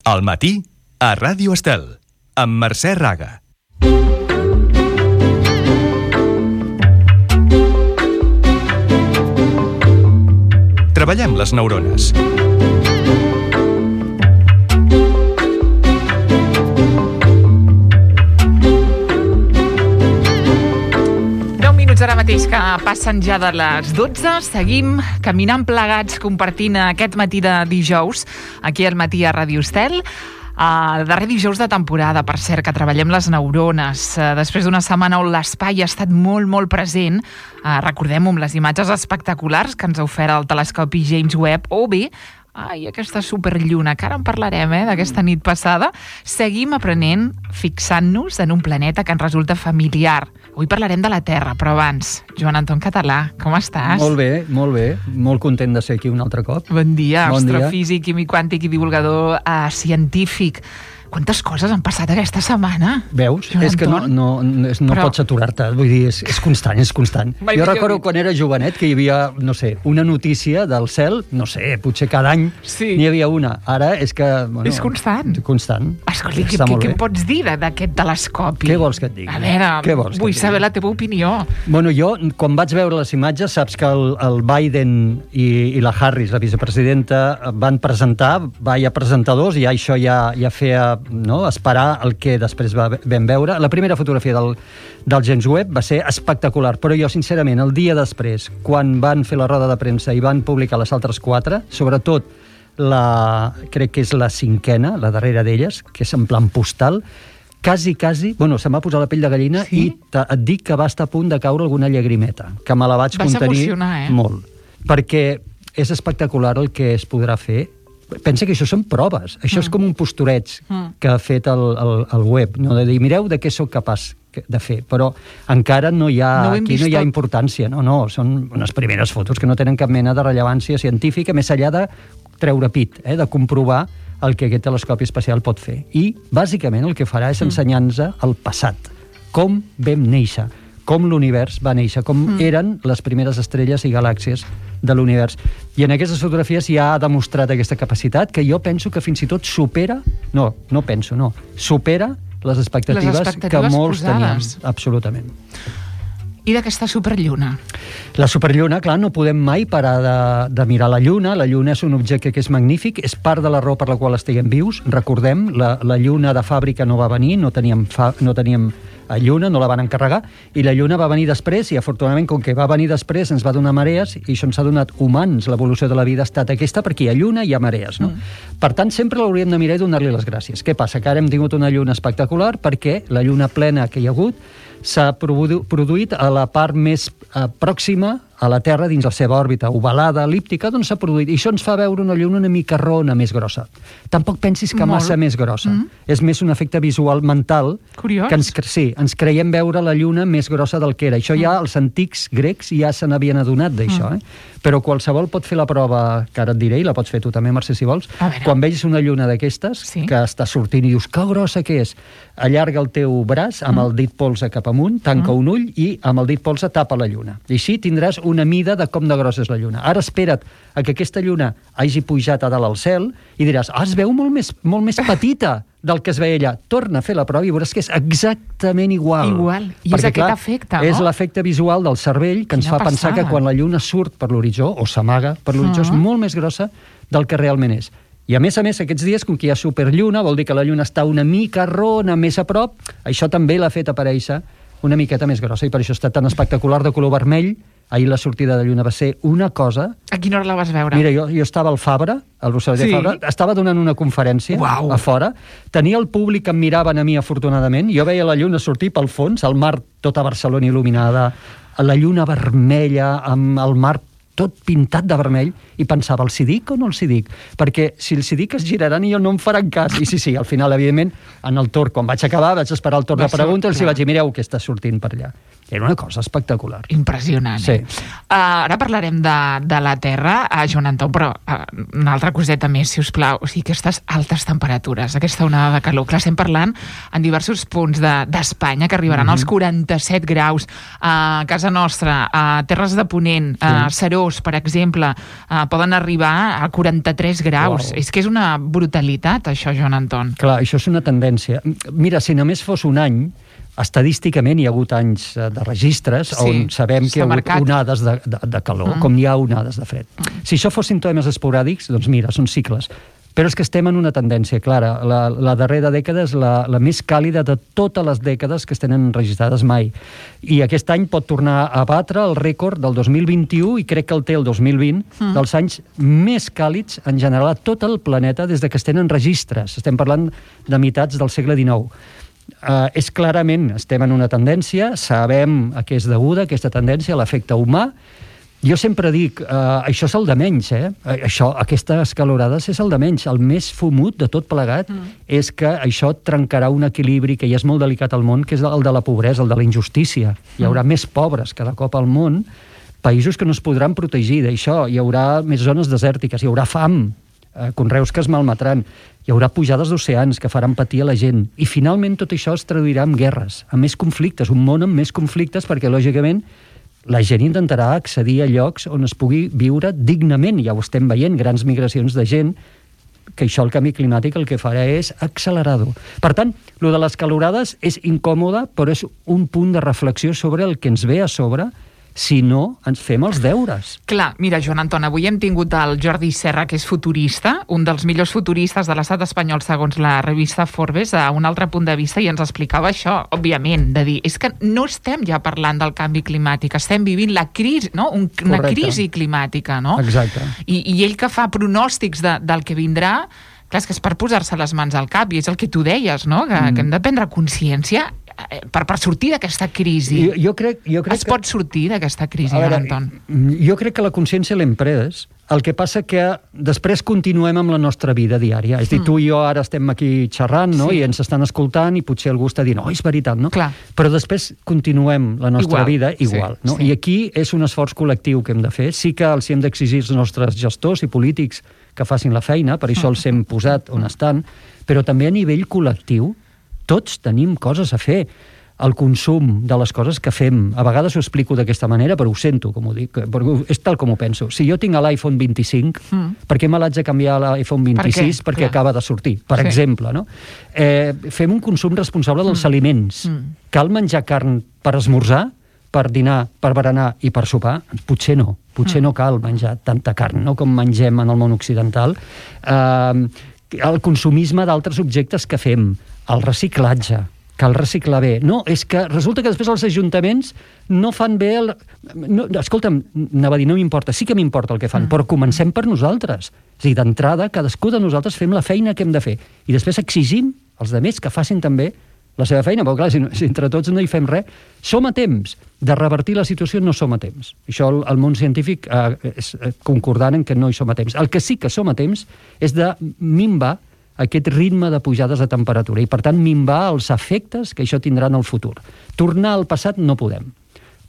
Al matí, a Ràdio Estel, amb Mercè Raga. Treballem les neurones. Ara mateix que passen ja de les 12, seguim caminant plegats, compartint aquest matí de dijous, aquí al matí a Ràdio Estel. El darrer dijous de temporada, per cert, que treballem les neurones. Després d'una setmana on l'espai ha estat molt present, recordem-ho amb les imatges espectaculars que ens ha ofert el telescopi James Webb, o bé, aquesta superlluna, que ara en parlarem, d'aquesta nit passada. Seguim aprenent, fixant-nos en un planeta que ens resulta familiar. Avui parlarem de la Terra, però abans, Joan Anton Català, com estàs? Molt bé, molt content de ser aquí un altre cop. Bon dia, astrofísic, químic quàntic i divulgador científic. Quantes coses han passat aquesta setmana? Veus? És que no pots aturar-te, vull dir, és constant. Jo recordo quan era jovenet que hi havia, no sé, una notícia del cel, no sé, potser cada any n'hi havia una. Ara és que... És constant. Escolta, què pots dir d'aquest telescopi? Què vols que et digui? A veure, vull saber la teva opinió. Bueno, jo, quan vaig veure les imatges, saps que el Biden i la Harris, la vicepresidenta, van presentar, hi ha presentadors, i això ja feia esperar el que després vam veure. La primera fotografia del James Webb va ser espectacular, però jo, sincerament, el dia després, quan van fer la roda de premsa i van publicar les altres 4, sobretot crec que és la 5ª, la darrera d'elles, que és en plan postal, quasi, se'm va posar la pell de gallina, i et dic que va estar a punt de caure alguna llagrimeta, que me la vaig contenir molt, perquè és espectacular el que es podrà fer. Pensa que això són proves, això és com un postureig que ha fet el web, no? De dir, mireu de què sóc capaç de fer, però encara no hi ha importància, són unes primeres fotos que no tenen cap mena de rellevància científica, més enllà de treure pit, de comprovar el que aquest telescopi espacial pot fer. I, bàsicament, el que farà és ensenyar-nos el passat, com vam néixer, com l'univers va néixer, com eren les primeres estrelles i galàxies de l'univers. I en aquestes fotografies ja ha demostrat aquesta capacitat que jo penso que fins i tot supera les expectatives que molts teníem. Absolutament. I d'aquesta superlluna? La superlluna, clar, no podem mai parar de mirar la lluna. La lluna és un objecte que és magnífic, és part de la raó per la qual estiguem vius. Recordem, la lluna de fàbrica no va venir, no teníem lluna, no la van encarregar, i la lluna va venir després, i afortunadament, com que va venir després, ens va donar marees, i això ens ha donat humans. L'evolució de la vida ha estat aquesta, perquè hi ha lluna i hi ha marees, no? Per tant, sempre l'hauríem de mirar i donar-li les gràcies. Què passa? Que ara hem tingut una lluna espectacular perquè la lluna plena que hi ha hagut s'ha produït a la part més pròxima a la Terra, dins la seva òrbita ovalada, elíptica, doncs s'ha produït. I això ens fa veure una lluna una mica rona, més grossa. Tampoc pensis que massa més grossa. És més un efecte visual mental. Curiós. Que ens creiem veure la lluna més grossa del que era. Això ja els antics grecs ja se n'havien adonat d'això. Però qualsevol pot fer la prova, que ara et diré, i la pots fer tu també, Mercè, si vols. Quan vegis una lluna d'aquestes, que està sortint i dius, que grossa que és, allarga el teu braç amb el dit polze cap amunt, tanca un ull i amb el dit polze tapa la lluna. I així tindràs una mida de com de grossa és la lluna. Ara espera't a que aquesta lluna hagi pujat a dalt al cel i diràs, es veu molt més petita del que es veia allà. Torna a fer la prova i veuràs que és exactament igual. I és aquest efecte, no? És l'efecte visual del cervell que ens fa pensar que quan la lluna surt per l'horitzó, o s'amaga per l'horitzó, és molt més grossa del que realment és. I a més, aquests dies, com que hi ha superlluna, vol dir que la lluna està una mica rona, més a prop, això també l'ha fet aparèixer una miqueta més grossa, i per això està tan espectacular, de color vermell. Ahir la sortida de lluna va ser una cosa... A quina hora la vas veure? Mira, jo estava al Fabra, al Rosselló de Fabra, estava donant una conferència a fora, tenia el públic que em miraven a mi, afortunadament, jo veia la lluna sortir pel fons, el mar, tota Barcelona il·luminada, la lluna vermella, amb el mar tot pintat de vermell, i pensava, els hi dic o no els hi dic? Perquè si els hi dic es giraran i no em faran cas. I sí, al final, evidentment, en el torn, quan vaig acabar, vaig esperar el torn de preguntes, els hi vaig dir, mireu què està sortint per allà. Era una cosa espectacular. Impressionant. Sí. Ara parlarem de la Terra, Joan Anton, però una altra coseta més, si us plau. O sigui, aquestes altes temperatures, aquesta onada de calor. Clar, estem parlant en diversos punts d'Espanya que arribaran als 47 graus. A casa nostra, a Terres de Ponent, a Serós, per exemple, poden arribar a 43 graus. És que és una brutalitat, això, Joan Anton. Clar, això és una tendència. Mira, si només fos un any, estadísticament hi ha hagut anys de registres on sabem que hi ha hagut onades de calor, com hi ha onades de fred. Si això fos símptomes esporàdics, doncs mira, són cicles. Però és que estem en una tendència clara. La darrera dècada és la més càlida de totes les dècades que es tenen registrades mai. I aquest any pot tornar a batre el rècord del 2021, i crec que el té el 2020, dels anys més càlids en general a tot el planeta des de que es tenen registres. Estem parlant de meitats del segle XIX. És clarament, estem en una tendència, sabem a què és deguda aquesta tendència, a l'efecte humà. Jo sempre dic, això és el de menys, aquestes calorades és el de menys. El més fumut de tot plegat és que això trencarà un equilibri que ja és molt delicat al món, que és el de la pobresa, el de la injustícia. Hi haurà més pobres cada cop al món, països que no es podran protegir d'això, hi haurà més zones desèrtiques, hi haurà fam, conreus que es malmetran, hi haurà pujades d'oceans que faran patir a la gent, i finalment tot això es traduirà en guerres, en més conflictes, un món amb més conflictes, perquè lògicament la gent intentarà accedir a llocs on es pugui viure dignament. Ja ho estem veient, grans migracions de gent, que això el canvi climàtic el que farà és accelerar-ho. Per tant, lo de les calorades és incòmode, però és un punt de reflexió sobre el que ens ve a sobre si no ens fem els deures. Clar, mira, Joan Anton, avui hem tingut el Jordi Serra, que és futurista, un dels millors futuristes de l'estat espanyol segons la revista Forbes, a un altre punt de vista, i ens explicava això, òbviament, de dir, és que no estem ja parlant del canvi climàtic, estem vivint la crisi, no? Una crisi climàtica, no? Exacte. I ell que fa pronòstics del que vindrà, clar, és que és per posar-se les mans al cap, i és el que tu deies, no? Que hem de prendre consciència per sortir d'aquesta crisi. Jo crec es pot sortir d'aquesta crisi, Anton? Jo crec que la consciència l'hem pres. El que passa que després continuem amb la nostra vida diària. És a dir, tu i jo ara estem aquí xerrant, no? I ens estan escoltant i potser algú està dient, és veritat, no? Clar. Però després continuem la nostra vida igual. No? I aquí és un esforç col·lectiu que hem de fer. Sí que els hem d'exigir els nostres gestors i polítics que facin la feina, per això els hem posat on estan, però també a nivell col·lectiu tots tenim coses a fer. El consum de les coses que fem. A vegades ho explico d'aquesta manera, però ho sento, com ho dic, perquè és tal com ho penso. Si jo tinc l'iPhone 25, per què me l'haig de canviar a l'iPhone 26? Perquè acaba de sortir, per exemple. No? Fem un consum responsable dels aliments. Cal menjar carn per esmorzar, per dinar, per berenar i per sopar? Potser no. Potser no cal menjar tanta carn, no? Com mengem en el món occidental. El consumisme d'altres objectes que fem, el reciclatge, cal reciclar bé. No, és que resulta que després els ajuntaments no fan bé escolta'm, anava a dir, no m'importa, sí que m'importa el que fan, però comencem per nosaltres. És a dir, d'entrada, cadascú de nosaltres fem la feina que hem de fer. I després exigim als altres que facin també la seva feina, però clar, si entre tots no hi fem res, som a temps de revertir la situació, no som a temps. Això el món científic és concordant en que no hi som a temps. El que sí que som a temps és de minvar aquest ritme de pujades de temperatura i, per tant, minvar els efectes que això tindrà en el futur. Tornar al passat no podem.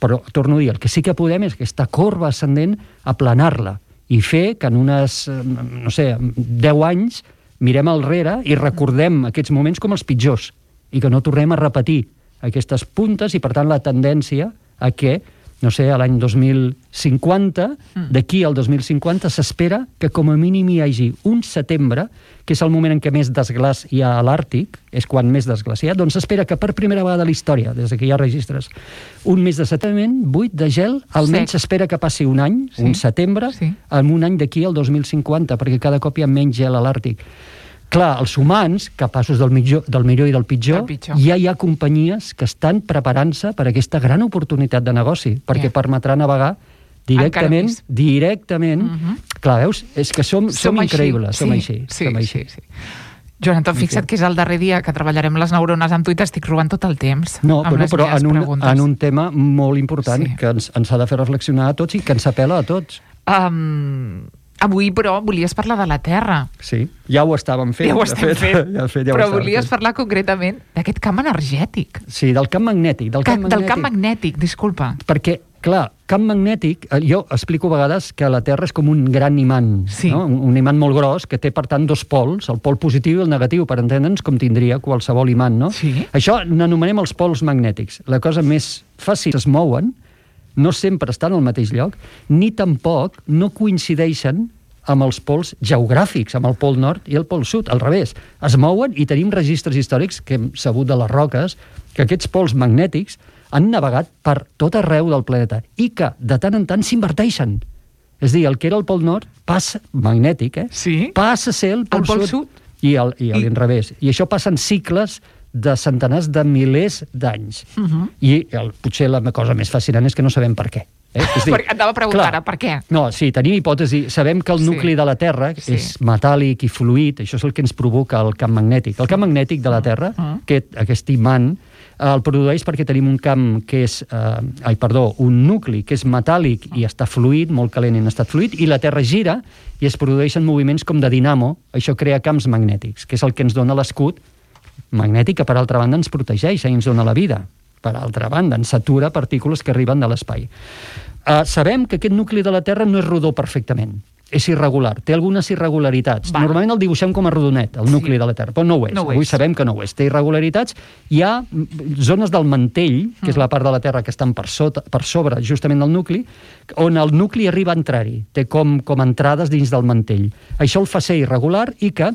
Però, torno a dir, el que sí que podem és aquesta corba ascendent aplanar-la i fer que en unes, 10 anys mirem al rere i recordem aquests moments com els pitjors i que no tornem a repetir aquestes puntes i, per tant, la tendència a que a l'any 2050, d'aquí al 2050, s'espera que com a mínim hi hagi un setembre, que és el moment en què més desglàs hi ha a l'Àrtic, és quan més desglaciat, doncs s'espera que per primera vegada a la història, des que hi ha registres, un mes de setembre buit de gel, almenys s'espera que passi un any, un setembre, en un any d'aquí al 2050, perquè cada cop hi ha menys gel a l'Àrtic. Clar, els humans, capaços del millor i del pitjor, ja hi ha companyies que estan preparant-se per aquesta gran oportunitat de negoci, perquè permetrà navegar directament. Clar, veus? És que som increïbles, som així. Joan Anton, fixa't que és el darrer dia que treballarem les neurones amb tu i t'estic robant tot el temps. No, però en un tema molt important que ens ha de fer reflexionar a tots i que ens apel·la a tots. Avui, però, volies parlar de la Terra. Sí, ja ho estàvem fent. Ja ho estem fent. Però volies fent. parlar concretament d'aquest camp energètic. Sí, del camp magnètic. Del camp magnètic, disculpa. Perquè, clar, camp magnètic, jo explico a vegades que la Terra és com un gran imant, sí. No? Un imant molt gros que té, per tant, dos pols, el pol positiu i el negatiu, per entendre'ns com tindria qualsevol imant, no? Sí. Això n'anomenem els pols magnètics. La cosa més fàcil, es mouen, no sempre estan al mateix lloc, ni tampoc no coincideixen amb els pols geogràfics, amb el pol nord i el pol sud, al revés. Es mouen i tenim registres històrics que hem sabut de les roques que aquests pols magnètics han navegat per tot arreu del planeta i que de tant en tant s'inverteixen. És a dir, el que era el pol nord passa, magnètic, sí? Passa a ser el pol sud i l'inrevés. I això passa en cicles de centenars de milers d'anys. I potser la cosa més fascinant és que no sabem per què. És dir, anava a preguntar ara, per què? No, sí, tenim hipòtesi. Sabem que el nucli de la Terra és metàl·lic i fluid, això és el que ens provoca el camp magnètic. El camp magnètic de la Terra, aquest imant, el produeix perquè tenim un camp que és... un nucli que és metàl·lic i està fluid, molt calent i en estat fluid, i la Terra gira i es produeixen moviments com de dinamo. Això crea camps magnètics, que és el que ens dona l'escut magnètic, que per altra banda ens protegeix i ens dona la vida. Per altra banda, ens satura partícules que arriben de l'espai. Sabem que aquest nucli de la Terra no és rodó perfectament. És irregular, té algunes irregularitats. Normalment el dibuixem com a rodonet, el nucli de la Terra, però no ho és. Avui sabem que no ho és. Té irregularitats. Hi ha zones del mantell, que és la part de la Terra que estan per sobre justament del nucli, on el nucli arriba a entrar-hi. Té com entrades dins del mantell. Això el fa ser irregular i que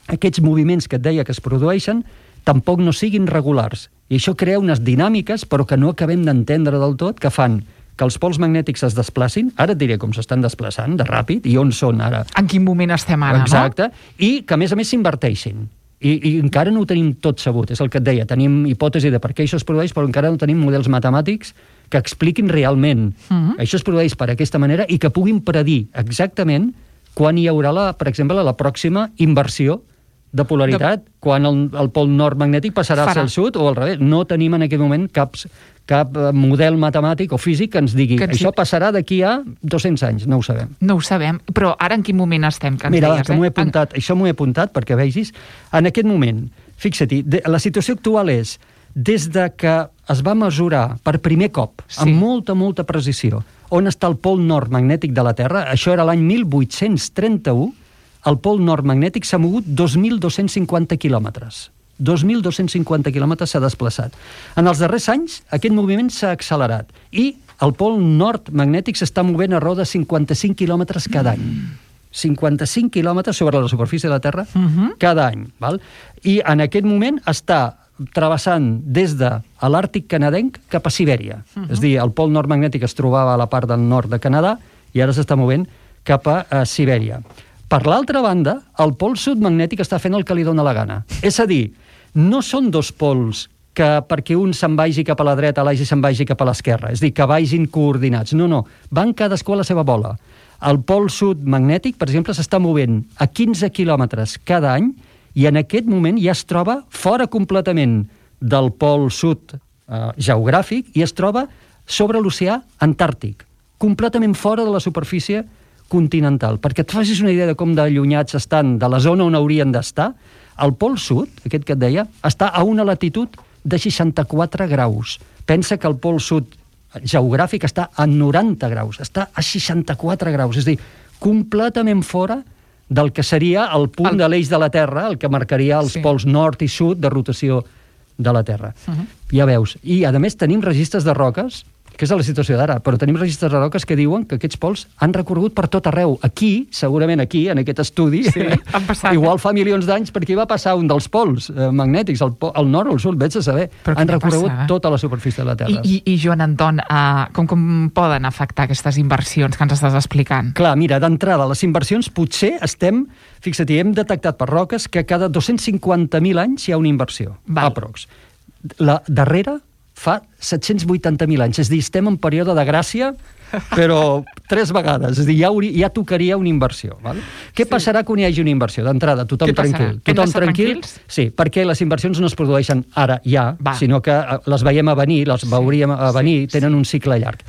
aquests moviments que et deia que es produeixen tampoc no siguin regulars. I això crea unes dinàmiques, però que no acabem d'entendre del tot, que fan que els pols magnètics es desplacin, ara et diré com s'estan desplaçant, de ràpid, i on són ara. En quin moment estem ara, exacte, no? I que, a més s'inverteixin. I encara no ho tenim tot sabut, és el que et deia. Tenim hipòtesi de per què això es produeix, però encara no tenim models matemàtics que expliquin realment. Això es produeix per aquesta manera i que puguin predir exactament quan hi haurà, per exemple, la pròxima inversió de polaritat, quan el pol nord magnètic passarà a ser el sud o al revés. No tenim en aquest moment cap model matemàtic o físic que ens digui això passarà d'aquí a 200 anys, no ho sabem. No ho sabem, però ara en quin moment estem? Mira, que m'ho he apuntat, això m'ho he apuntat perquè vegis, en aquest moment, fixa-t'hi, la situació actual és, des de que es va mesurar per primer cop, amb molta precisió, on està el pol nord magnètic de la Terra, això era l'any 1831, el pol nord magnètic s'ha mogut 2.250 quilòmetres. 2.250 quilòmetres s'ha desplaçat. En els darrers anys, aquest moviment s'ha accelerat i el pol nord magnètic s'està movent a raó de 55 quilòmetres cada any. 55 quilòmetres sobre la superfície de la Terra cada any. Val? I en aquest moment està travessant des de l'Àrtic canadenc cap a Sibèria. És a dir, el pol nord magnètic es trobava a la part del nord de Canadà i ara s'està movent cap a Sibèria. Per l'altra banda, el pol sud magnètic està fent el que li dóna la gana. És a dir, no són dos pols que perquè un se'n vagi cap a la dreta, l'altre se'n vagi cap a l'esquerra. És a dir, que vagin coordinats. No. Van cadascú a la seva bola. El pol sud magnètic, per exemple, s'està movent a 15 quilòmetres cada any i en aquest moment ja es troba fora completament del pol sud geogràfic i es troba sobre l'oceà Antàrtic, completament fora de la superfície continental. Perquè et facis una idea de com d'allunyats estan de la zona on haurien d'estar, el pol sud, aquest que et deia, està a una latitud de 64 graus. Pensa que el pol sud geogràfic està a 90 graus, està a 64 graus, és a dir, completament fora del que seria el punt de l'eix de la Terra, el que marcaria els pols nord i sud de rotació de la Terra. Ja veus. I, a més, tenim registres de roques, que és la situació d'ara, però tenim registres de roques que diuen que aquests pols han recorregut per tot arreu. Aquí, segurament aquí, en aquest estudi, igual fa milions d'anys, perquè hi va passar un dels pols magnètics, el nord o el sud, vés a saber. Han recorregut tota la superfície de la Terra. I Joan Anton, com poden afectar aquestes inversions que ens estàs explicant? Clar, mira, d'entrada, les inversions potser estem, fixa't-hi, hem detectat per roques que cada 250.000 anys hi ha una inversió, aprox. La darrera fa 780.000 anys. És a dir, estem en període de gràcia, però 3 vegades. És a dir, ja tocaria una inversió. Val? Què passarà quan hi hagi una inversió? D'entrada, tothom tranquil. Tothom tranquil. Sí, perquè les inversions no es produeixen ara, sinó que les veiem a venir, les veuríem a venir, tenen un cicle llarg.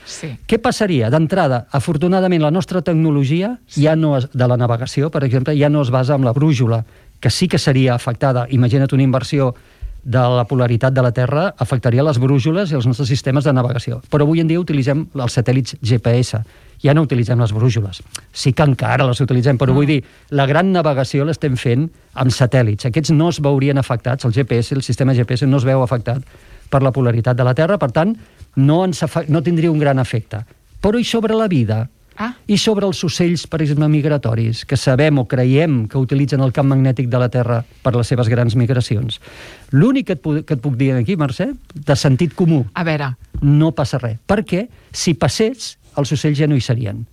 Què passaria? D'entrada, afortunadament, la nostra tecnologia de la navegació, per exemple, ja no es basa en la brújula, que sí que seria afectada. Imagina't una inversió de la polaritat de la Terra, afectaria les brújoles i els nostres sistemes de navegació. Però avui en dia utilitzem els satèl·lits GPS. Ja no utilitzem les brújoles. Sí que encara les utilitzem, però vull dir, la gran navegació l'estem fent amb satèl·lits. Aquests no es veurien afectats, el GPS, el sistema GPS no es veu afectat per la polaritat de la Terra, per tant, no tindria un gran efecte. Però i sobre la vida? I sobre els ocells, per exemple, migratoris, que sabem o creiem que utilitzen el camp magnètic de la Terra per les seves grans migracions. L'únic que et puc dir aquí, Mercè, de sentit comú, a veure, no passa res. Perquè si passés, els ocells ja no hi serien.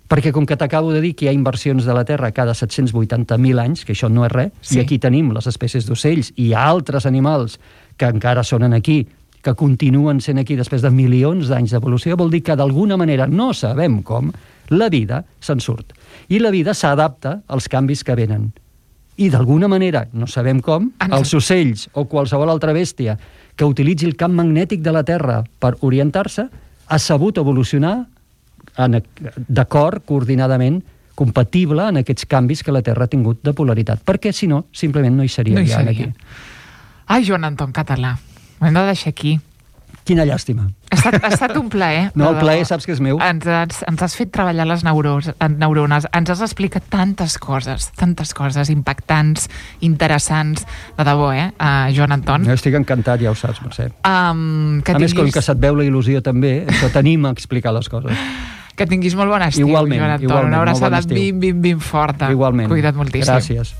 Perquè com que t'acabo de dir que hi ha inversions de la Terra cada 780.000 anys, que això no és res, i aquí tenim les espècies d'ocells i altres animals que encara són aquí, que continuen sent aquí després de milions d'anys d'evolució, vol dir que d'alguna manera, no sabem com, la vida se'n surt. I la vida s'adapta als canvis que venen. I d'alguna manera, no sabem com, els ocells o qualsevol altra bèstia que utilitzi el camp magnètic de la Terra per orientar-se ha sabut evolucionar d'acord, coordinadament, compatible en aquests canvis que la Terra ha tingut de polaritat. Perquè, si no, simplement no hi seria. Aquí. Ai, Joan Anton Català, ho hem de deixar aquí. Quina llàstima. Ha estat un plaer. No, el plaer saps que és meu. Ens has fet treballar les neurones, ens has explicat tantes coses impactants, interessants, de debò, Joan Anton? Jo estic encantat, ja ho saps, Mercè. A més, com que se't veu la il·lusió també, això t'anima a explicar les coses. Que tinguis molt bon estiu, Joan Anton. Una abraçada ben forta. Igualment. Cuida't moltíssim. Gràcies.